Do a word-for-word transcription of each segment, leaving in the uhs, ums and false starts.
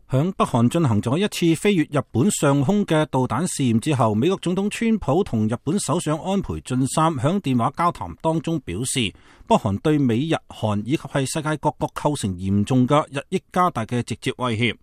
響北韓進行咗一次飛越日本上空嘅導彈試驗之後，美國總統川普同日本首相安倍晉三響電話交談當中表示，北韓對美日韓以及係世界各國構成嚴重嘅日益加大嘅直接威脅。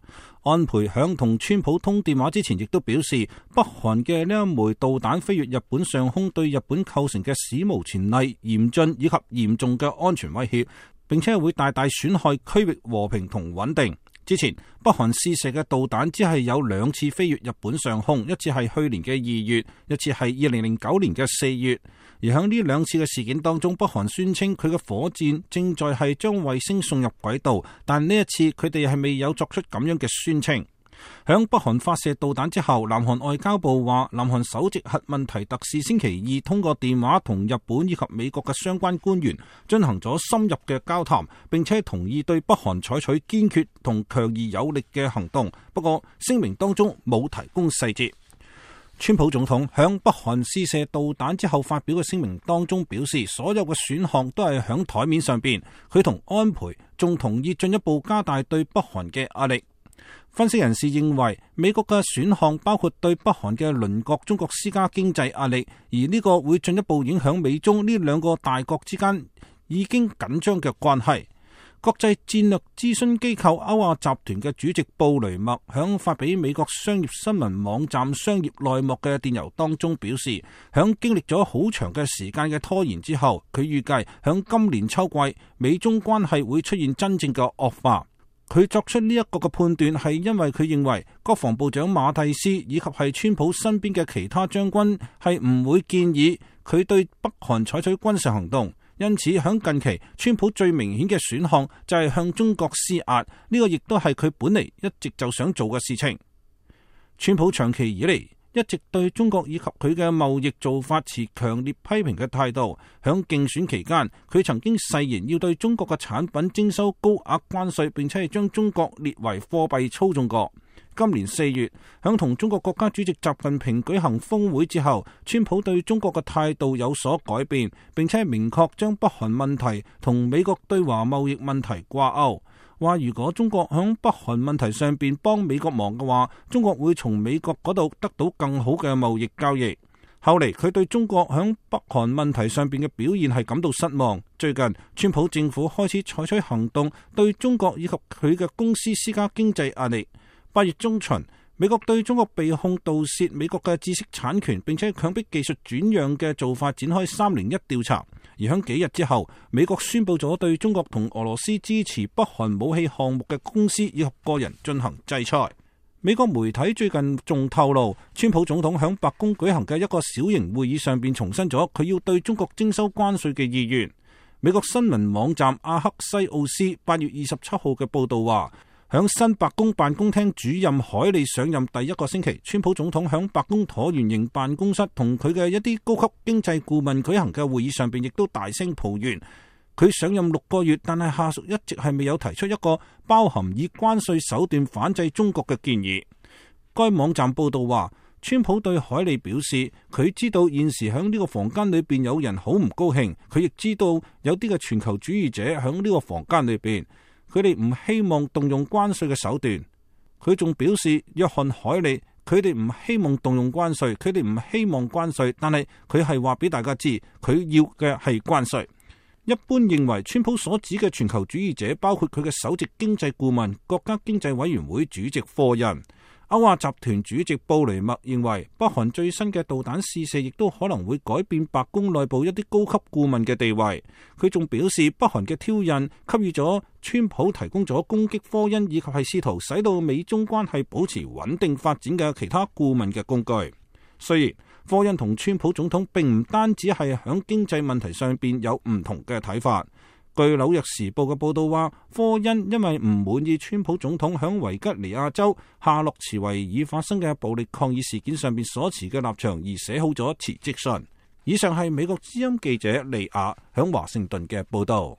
安倍響同川普通電話之前，亦都表示，北韓嘅呢一枚導彈飛越日本上空，對日本構成嘅史無前例、嚴峻以及嚴重嘅安全威脅，並且會大大損害區域和平同穩定。之前北韓試射嘅導彈只係有兩次飛越日本上空，一次係去年嘅二月，一次係二零零九年嘅四月。而喺呢兩次嘅事件當中，北韓宣稱佢嘅火箭正在係將衛星送入軌道，但呢一次佢哋係未有作出咁樣嘅宣稱。響北韓發射導彈之後，南韓外交部話，南韓首席核問題特使星期二通過電話同日本以及美國嘅相關官員進行咗深入嘅交談，並且同意對北韓採取堅決同強而有力嘅行動。不過聲明當中冇提供細節。川普總統響北韓試射導彈之後發表嘅聲明當中表示，所有嘅選項都係響台面上邊，佢同安倍仲同意進一步加大對北韓嘅壓力。分析人士認為，美國嘅選項包括對北韓嘅鄰國中國施加經濟壓力，而呢個會進一步影響美中呢兩個大國之間已經緊張嘅關係。國際戰略諮詢機構歐亞集團嘅主席布雷默響發俾美國商業新聞網站商業內幕嘅電郵當中表示，響經歷咗好長嘅時間嘅拖延之後，佢預計響今年秋季美中關係會出現真正嘅惡化。佢作出呢一個嘅判斷係因為佢認為國防部長馬蒂斯以及係川普身邊嘅其他將軍係唔會建議佢對北韓採取軍事行動，因此響近期川普最明顯嘅選項就係向中國施壓，呢個亦都係佢本嚟一直就想做嘅事情。川普長期以嚟一直對中國以及佢嘅貿易做法持強烈批評嘅態度。響競選期間，佢曾經誓言要對中國嘅產品徵收高額關稅，並且係將中國列為貨幣操縱國。今年四月，響同中國國家主席習近平舉行峰會之後，川普對中國嘅態度有所改變，並且明確將北韓問題同美國對華貿易問題掛鈎。話如果中國響北韓問題上邊幫美國忙嘅話，中國會從美國嗰度得到更好嘅貿易交易。後嚟佢對中國響北韓問題上邊嘅表現係感到失望。最近川普政府開始採取行動，對中國以及佢嘅公司施加經濟壓力。八月中旬，美國對中國被控盜竊美國嘅知識產權，並且強迫技術轉讓嘅做法展開三零一調查。而響幾日之後，美國宣布咗對中國同俄羅斯支持北韓武器項目嘅公司以及個人進行制裁。美國媒體最近仲透露，川普總統響白宮舉行嘅一個小型會議上邊重申咗佢要對中國徵收關稅嘅意願。美國新聞網站阿克西奧斯八月二十七號嘅報道話，響新白宮辦公廳主任凱利上任第一個星期，川普總統響白宮橢圓形辦公室同佢嘅一啲高級經濟顧問舉行嘅會議上邊，亦都大聲抱怨佢上任六個月，但係下屬一直係未有提出一個包含以關稅手段反制中國嘅建議。該網站報道話，川普對凱利表示，佢知道現時響呢個房間裏邊有人好唔高興，佢亦知道有啲嘅全球主義者響呢個房間裏邊。佢哋唔希望動用關稅嘅手段。佢仲表示，約翰凱利佢哋唔希望動用關稅，佢哋唔希望關稅，但係佢係話俾大家知，佢要嘅係關稅。一般認為，川普所指嘅全球主義者包括佢嘅首席經濟顧問、國家經濟委員會主席科恩。歐亞集團主席布雷默認為，北韓最新嘅導彈試射亦都可能會改變白宮內部一啲高級顧問嘅地位。佢仲表示，北韓嘅挑釁給予咗川普提供咗攻擊科恩以及係試圖使到美中關係保持穩定發展嘅其他顧問嘅工具。雖然科恩同川普總統並唔單止係響經濟問題上邊有唔同嘅睇法。據紐約時報嘅報道話，科恩因為唔滿意川普總統響維吉尼亞州夏洛茨維爾發生嘅暴力抗議事件上邊所持嘅立場而寫好咗辭職信。以上係美國之音記者利亞響華盛頓嘅報道。